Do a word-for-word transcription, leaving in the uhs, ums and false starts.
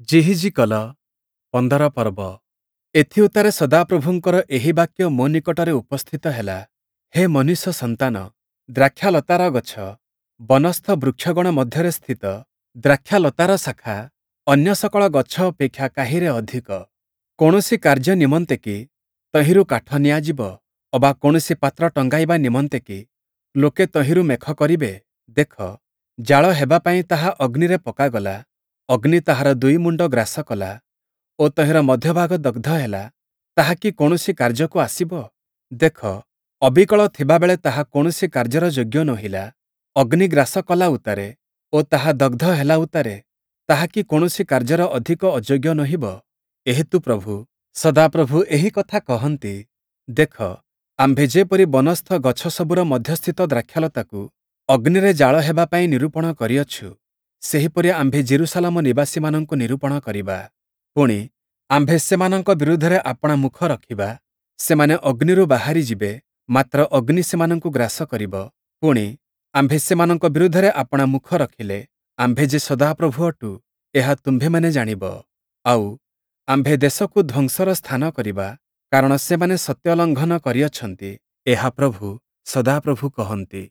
ଯିହିଜିକଲ ପନ୍ଦର ପର୍ବ। ଏଥିଉତ୍ତାରେ ସଦାପ୍ରଭୁଙ୍କର ଏହି ବାକ୍ୟ ମୋ ନିକଟରେ ଉପସ୍ଥିତ ହେଲା, ହେ ମନୁଷ୍ୟ ସନ୍ତାନ, ଦ୍ରାକ୍ଷାଲତାର ଗଛ, ବନସ୍ଥ ବୃକ୍ଷଗଣ ମଧ୍ୟରେ ସ୍ଥିତ ଦ୍ରାକ୍ଷାଲତାର ଶାଖା ଅନ୍ୟ ସକଳ ଗଛ ଅପେକ୍ଷା କାହିଁରେ ଅଧିକ? କୌଣସି କାର୍ଯ୍ୟ ନିମନ୍ତେ କି ତହିଁରୁ କାଠ ନିଆଯିବ ଅବା କୌଣସି ପାତ୍ର ଟଙ୍ଗାଇବା ନିମନ୍ତେ କି ଲୋକେ ତହିଁରୁ ମେଖ କରିବେ? ଦେଖ, ଜାଳ ହେବା ପାଇଁ ତାହା ଅଗ୍ନିରେ ପକାଗଲା, ଅଗ୍ନି ତାହାର ଦୁଇ ମୁଣ୍ଡ ଗ୍ରାସ କଲା ଓ ତହିଁର ମଧ୍ୟଭାଗ ଦଗ୍ଧ ହେଲା, ତାହା କି କୌଣସି କାର୍ଯ୍ୟକୁ ଆସିବ? ଦେଖ, ଅବିକଳ ଥିବାବେଳେ ତାହା କୌଣସି କାର୍ଯ୍ୟର ଯୋଗ୍ୟ ନୋହିଲା, ଅଗ୍ନି ଗ୍ରାସ କଲା ଉତ୍ତାରେ ଓ ତାହା ଦଗ୍ଧ ହେଲା ଉତ୍ତାରେ ତାହା କି କୌଣସି କାର୍ଯ୍ୟର ଅଧିକ ଅଯୋଗ୍ୟ ନୋହିବ? ଏହେତୁ ପ୍ରଭୁ, ସଦାପ୍ରଭୁ ଏହି କଥା କହନ୍ତି, ଦେଖ, ଆମ୍ଭେ ଯେପରି ବନସ୍ଥ ଗଛସବୁର ମଧ୍ୟସ୍ଥିତ ଦ୍ରାକ୍ଷାଲତାକୁ ଅଗ୍ନିରେ ଜାଳ ହେବା ପାଇଁ ନିରୂପଣ କରିଅଛୁ, ସେହିପରି ଆମ୍ଭେ ଯିରୂଶାଲମ ନିବାସୀମାନଙ୍କୁ ନିରୂପଣ କରିବା। ପୁଣି, ଆମ୍ଭେ ସେମାନଙ୍କ ବିରୁଦ୍ଧରେ ଆପଣା ମୁଖ ରଖିବା, ସେମାନେ ଅଗ୍ନିରୁ ବାହାରି ଯିବେ, ମାତ୍ର ଅଗ୍ନି ସେମାନଙ୍କୁ ଗ୍ରାସ କରିବ। ପୁଣି, ଆମ୍ଭେ ସେମାନଙ୍କ ବିରୁଦ୍ଧରେ ଆପଣା ମୁଖ ରଖିଲେ, ଆମ୍ଭେ ଯେ ସଦାପ୍ରଭୁ ଅଟୁ, ଏହା ତୁମ୍ଭେମାନେ ଜାଣିବ। ଆଉ, ଆମ୍ଭେ ଦେଶକୁ ଧ୍ୱଂସର ସ୍ଥାନ କରିବା, କାରଣ ସେମାନେ ସତ୍ୟ ଲଙ୍ଘନ କରିଅଛନ୍ତି, ଏହା ପ୍ରଭୁ, ସଦାପ୍ରଭୁ କହନ୍ତି।